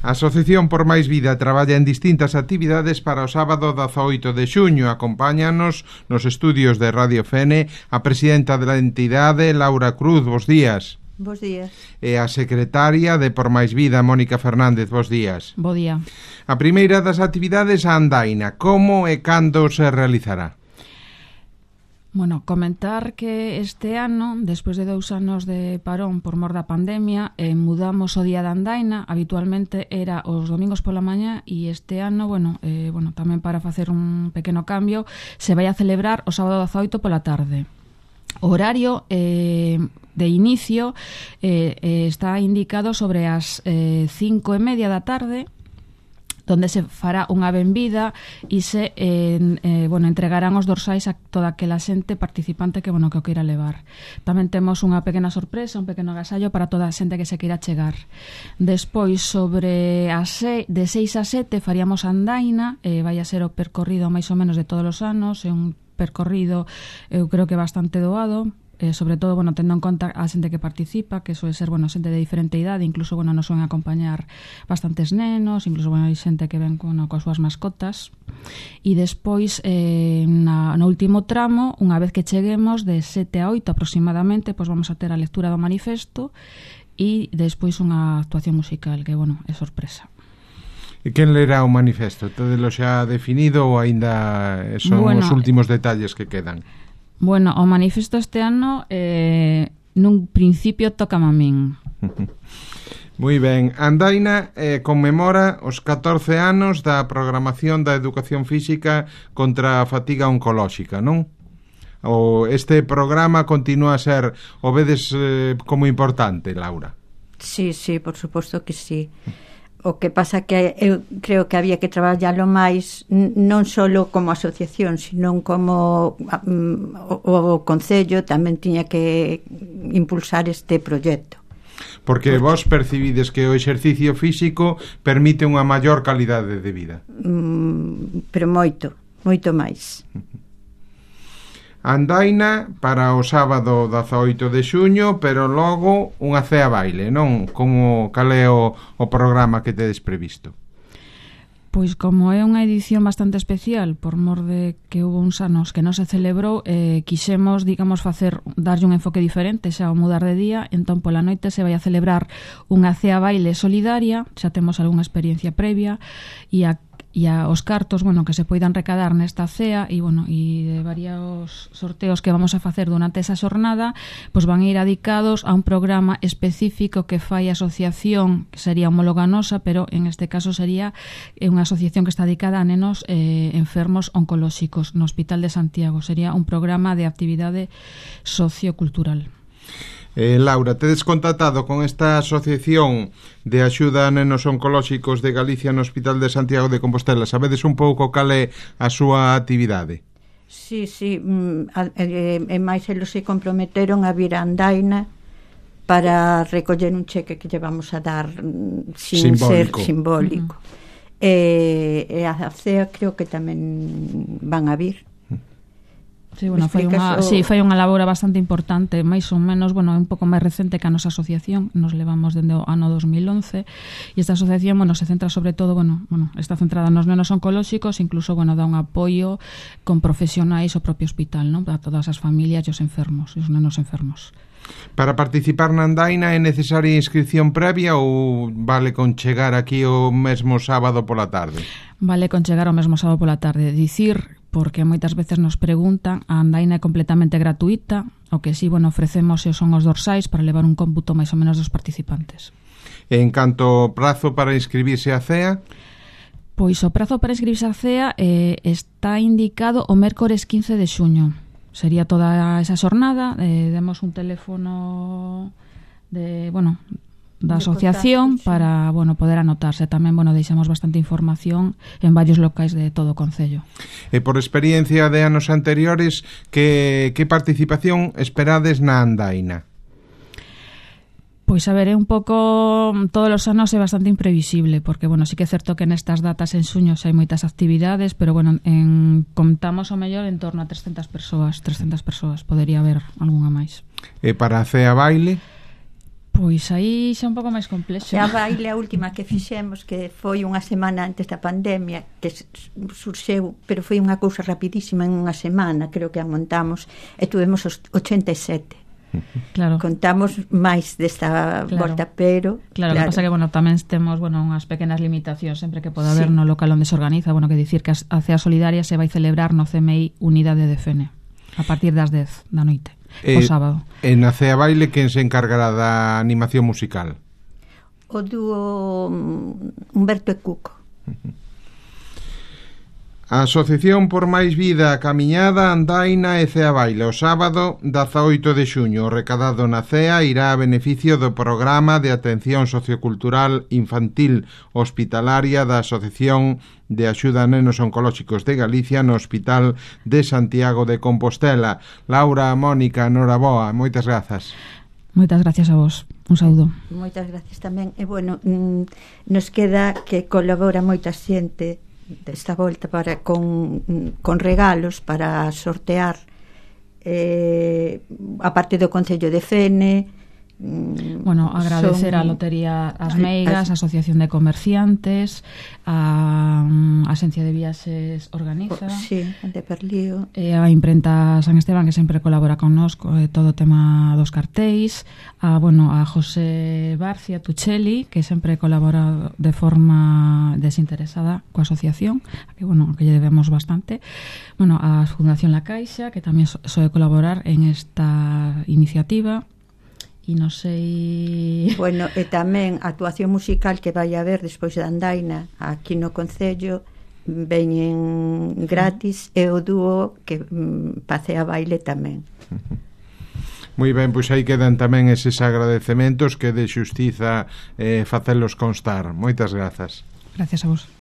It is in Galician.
A Asociación por Máis Vida traballa en distintas actividades para o sábado 18 de xuño. Acompáñanos nos estudios de Radio Fene a presidenta da entidade, Laura Cruz. Bos días. Bos días. E a secretaria de Por Máis Vida, Mónica Fernández. Bos días. Bo día. A primeira das actividades, a andaina. Como e cando se realizará? Bueno, comentar que este ano, despois de 2 anos de parón por mor da pandemia, mudamos o día da andaina. Habitualmente era os domingos pola mañá e este ano, tamén para facer un pequeno cambio, se vai a celebrar o sábado 18 pola tarde. O horario de inicio está indicado sobre as 5:30 da tarde, donde se fará unha benvida e se entregarán os dorsais a toda aquela xente participante que o queira levar. Tamén temos unha pequena sorpresa, un pequeno agasallo para toda a xente que se queira chegar. Despois, sobre de 6 a 7 faríamos andaina, vai a ser o percorrido máis ou menos de todos os anos, é un percorrido, eu creo que bastante doado, sobre todo, tendo en conta a xente que participa, que soe ser, xente de diferente idade, incluso, nos soen acompañar bastantes nenos, incluso, hai xente que ven coas súas mascotas. E despois, no último tramo, unha vez que cheguemos de 7 a 8 aproximadamente, vamos a ter a lectura do manifesto e despois unha actuación musical, que, é sorpresa. E quen lerá o manifesto? Todelo xa definido ou aínda son os últimos detalles que quedan? Bueno, o manifesto este ano nun principio tócame a min. Moi ben. Andaina conmemora os 14 anos da programación da educación física contra a fatiga oncolóxica, non? Este programa continúa a ser, o vedes como importante, Laura? Sí, por suposto que sí. O que pasa que eu creo que había que traballalo máis non só como asociación, sino como o Concello tamén tiña que impulsar este proxecto. Porque vos percibides que o exercicio físico permite unha maior calidade de vida. Pero moito máis. Andaina para o sábado 18 de xuño, pero logo unha cea baile, non? Cal é o programa que tedes previsto? Pois como é unha edición bastante especial, por mor de que houve uns anos que non se celebrou, quixemos, darlle un enfoque diferente xa ao mudar de día. Entón pola noite se vai a celebrar unha cea baile solidaria, xa temos algunha experiencia previa, e os cartos, que se poidan recadar nesta cea e de varios sorteos que vamos a facer durante esa xornada, van a ir dedicados a un programa específico que fai a asociación, que sería homóloga nosa, pero en este caso sería unha asociación que está dedicada a nenos enfermos oncolóxicos no Hospital de Santiago. Sería un programa de actividade sociocultural. Laura, tedes contactado con esta asociación de axuda a nenos oncolóxicos de Galicia no Hospital de Santiago de Compostela? Sabedes un pouco cal é a súa actividade? Sí, e máis eles se comprometeron a vir a andaina para recoller un cheque que lle vamos a dar sin ser simbólico. E a CEA creo que tamén van a vir. Sí, foi unha labora bastante importante, máis ou menos, é un pouco máis recente que a nosa asociación. Nos levamos dende o ano 2011 e esta asociación, se centra sobre todo, está centrada nos nenos oncolóxicos, incluso, dá un apoio con profesionais ao propio hospital, non? A todas as familias e os enfermos, e os nenos enfermos. Para participar na andaina é necesaria inscripción previa ou vale con chegar aquí o mesmo sábado pola tarde? Vale con chegar o mesmo sábado pola tarde. Dicir, porque moitas veces nos preguntan, a andaina é completamente gratuita, o que si, ofrecemos son os dorsais para levar un cómputo máis ou menos dos participantes. En canto ao prazo para inscribirse á CEA? Pois o prazo para inscribirse á CEA está indicado o mércores 15 de xuño. Sería toda esa xornada. Demos un teléfono da asociación para poder anotarse. Tamén deixamos bastante información en varios locais de todo o Concello. E por experiencia de anos anteriores, que participación esperades na andaina? Pois a ver, é un pouco, todos os anos é bastante imprevisible, porque, sí que é certo que nestas datas en xuño hai moitas actividades, pero, contamos ao mellor en torno a 300 persoas, podería haber algunha máis. E para a cea baile? Pois aí xa un pouco máis complexo. A baile a última que fixemos, que foi unha semana antes da pandemia, que surxeu, pero foi unha cousa rapidísima, en unha semana creo que a montamos, e tuvemos os 87. Claro. Contamos máis desta volta, pero claro, que pasa que, bueno, tamén temos, bueno, unhas pequenas limitacións sempre que poda haber no local onde se organiza, bueno, que dicir que a Cea Solidaria se vai celebrar no CMI Unidade de Fene a partir das 10 da noite, o sábado. E na Cea Baile, quen se encargará da animación musical? O dúo Humberto e Cuco. A Asociación por Máis Vida, Camiñada, Andaina e Cea Baile. O sábado 18 de xuño, o recadado na Cea irá a beneficio do programa de atención sociocultural infantil hospitalaria da Asociación de Axuda a Nenos Oncolóxicos de Galicia no Hospital de Santiago de Compostela. Laura, Mónica, noraboa, moitas grazas. Moitas gracias a vos. Un saúdo. Moitas gracias tamén. E, bueno, nos queda que colabora moita xente desta volta para con regalos para sortear, a parte do Concello de Fene. Bueno, agradecer a Lotería As Meigas, a Asociación de Comerciantes, a Axencia de Viaxes Organiza, sí, de Perlío, a Imprenta San Esteban, que sempre colabora connosco todo o tema dos cartéis, a José Barcia Tuchelli, que sempre colabora de forma desinteresada coa asociación, que lle debemos bastante, a Fundación La Caixa, que tamén soe colaborar en esta iniciativa. E non sei... Bueno, e tamén a actuación musical que vai haber despois da Andaina aquí no Concello, veñen gratis, e o dúo que pasea baile tamén. Moi ben, pois aí quedan tamén eses agradecementos que de xustiza facelos constar. Moitas grazas. Gracias a vos.